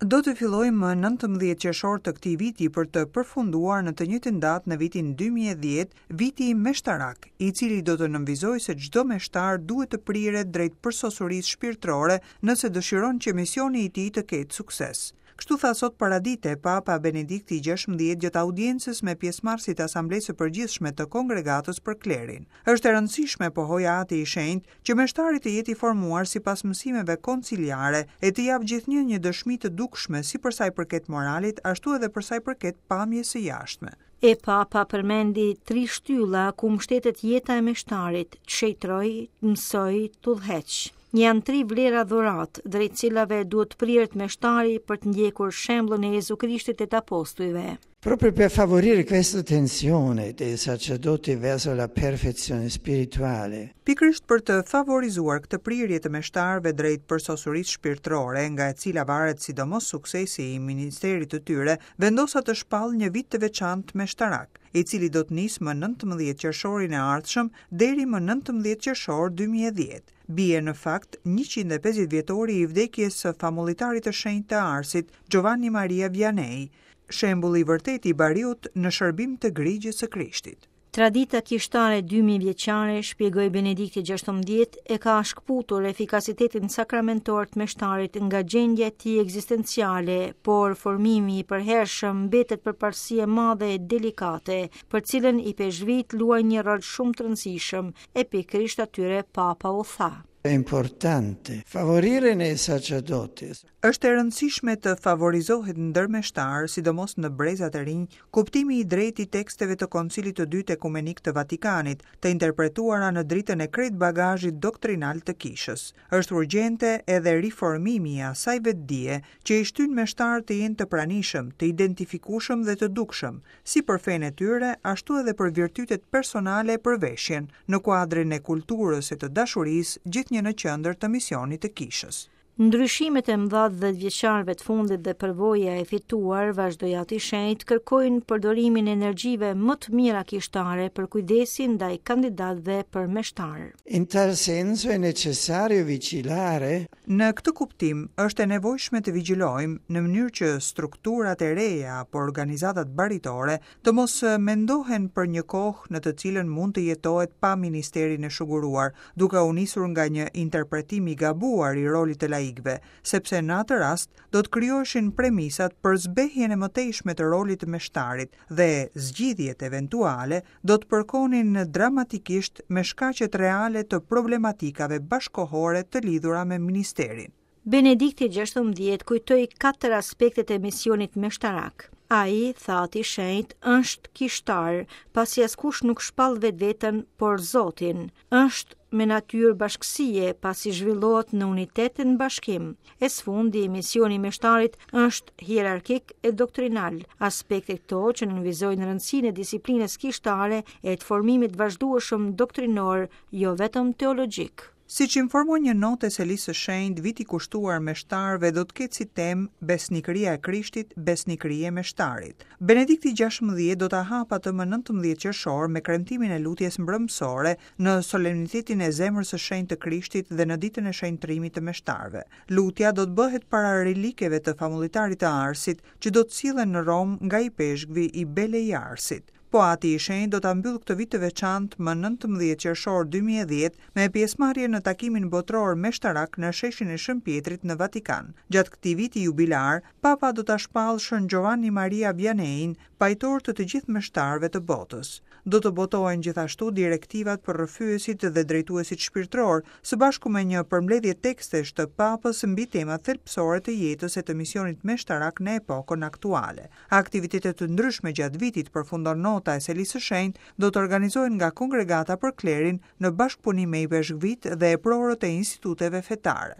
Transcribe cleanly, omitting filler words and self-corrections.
Do të fillojë më 19 qershor të këtij viti për të përfunduar në të njëjtën datë në vitin 2010, viti meshtarak, i cili do të nënvizojë se çdo meshtar duhet të priret drejt përsosurisë shpirtërore nëse dëshiron që misioni i tij të ketë sukses. Kështu tha sot paradite Papa Benedikti XVI gjatë audiencës me pjesëmarrësit e Asamblesë së Përgjithshme të Kongregatës për Klerin. Është e rëndësishme, pohoi Ati i Shenjtë, që meshtari të jetë i formuar sipas mësimeve konciliare e të japë gjithnjë një dëshmi të dukshme si për sa i përket moralit, ashtu edhe për sa i përket pamjes së jashtme. E Papa përmendi tri shtylla ku mbështetet jeta e meshtarit, të shenjtërojë, të mësojë, të udhëheqë. Janë tri vlera dhuratë, drejt cilave duhet të priret meshtari për të ndjekur shembullin e Jezu Krishtit e të apostujve. Proprio per favorire questa tensione dei sacerdoti verso la perfezione spirituale. Pikërisht për të favorizuar këtë prirje të meshtarëve drejt përsosurisë shpirtërore, nga e cila varet sidomos suksesi i ministerit të tyre, vendosa të shpall një vit të veçantë meshtarak, i cili do të nisë më 19 qershorin e ardhshëm deri më 19 qershor 2010. Bie në fakt 150 vjetori i vdekjes së famullitarit të shenjtë të Arsit, Giovanni Maria Vianney, shembulli i vërtetë i bariut në shërbim të grigjës së Krishtit. Tradita kishtare 2000 vjeçare, shpjegoi Benedikti XVI, e ka shkëputur efikasitetin sakramentor të meshtarit nga gjendja e tij ekzistenciale, por formimi i përhershëm mbetet përparësi e madhe e delikate, për cilën ipeshkvijtë luajnë një rol shumë të rëndësishëm, e pikërisht atyre Papa u tha. È importante favorire nei sacerdoti. Është e rëndësishme të favorizohet ndër meshtarë, sidomos në brezat e rinj, kuptimi i drejtë i teksteve të Koncilit të Dytë Ekumenik të Vatikanit, të interpretuara në dritën e krejt bagazhit doktrinal të Kishës. Është urgjente edhe riformimi i asaj vetëdije që i shtyn meshtarët të jenë të pranishëm, të identifikueshëm dhe të dukshëm, si për fenë e tyre, ashtu edhe për virtytet personale e për veshjen, në kuadrin e kulturës e të dashurisë, gjithnjë në qendër të misionit të Kishës. Ndryshimet e mëdha të dhjetëvjeçarëve të fundit dhe përvoja e fituar, vazhdoi Ati i Shenjtë, kërkojnë përdorimin e energjive më të mira kishtare për kujdesin ndaj kandidatëve për meshtarë. In tal senso è necessario vigilare. Në këtë kuptim, është e nevojshme të vigjilojmë, në mënyrë që strukturat e reja apo organizatat baritore të mos mendohen për një kohë në të cilën mund të jetohet pa ministerin e shuguruar, duke u nisur nga një interpretim i gabuar i rolit të laikëve, sepse në atë rast do të krijoheshin premisat për zbehjen e mëtejshme të rolit të meshtarit dhe zgjidhjet eventuale do të përkonin dramatikisht me shkaqet reale të problematikave bashkëkohore të lidhura me ministerin. Benedikti XVI kujtoi katër aspektet e misionit meshtarak. Ai, tha Ati i Shenjtë, është kishtar, pasi askush nuk shpall vetveten, por Zotin. Është me natyrë bashkësie, pasi zhvillohet në unitet e në bashkim. E së fundi, misioni i meshtarit është hierarkik e doktrinal, aspekte këto që nënvizojnë rëndësinë e disiplinës kishtare e të formimit të vazhdueshëm doktrinor, jo vetëm teologjik. Siç informon një notë e Selisë së Shenjtë, viti kushtuar meshtarëve do të ketë si temë Besnikëria e Krishtit, besnikëri e meshtarit. Benedikti XVI do ta hapë atë më 19 qershor me kremtimin e lutjes mbrëmësore në solemnitetin e Zemrës së Shenjtë të Krishtit dhe në ditën e shenjtërimit të meshtarëve. Lutja do të bëhet para relikeve të famullitarit të Arsit, që do të sillen në Romë nga ipeshkvi i Belley-Arsit. Po Ati i Shenjtë do ta mbyllë këtë vit të veçantë më 19 qershor 2010 me pjesëmarrje në takimin botëror meshtarak në sheshin e Shën Pjetrit në Vatikan. Gjatë këtij viti jubilar, Papa do ta shpallë Shën Giovanni Maria Viannein pajtor të të gjithë meshtarëve të botës. Do të botohen gjithashtu direktivat për rrëfyesit dhe drejtuesit shpirtërorë, së bashku me një përmbledhje tekstesh të Papës mbi temat thelbësore të jetës e të misionit meshtarak në epokën aktuale. Aktivitete të ndryshme gjatë vitit, përfundon nota e Selisë së Shenjtë, do të organizohen nga Kongregata për Klerin në bashkëpunim me ipeshkvijtë dhe eprorët e instituteve fetare.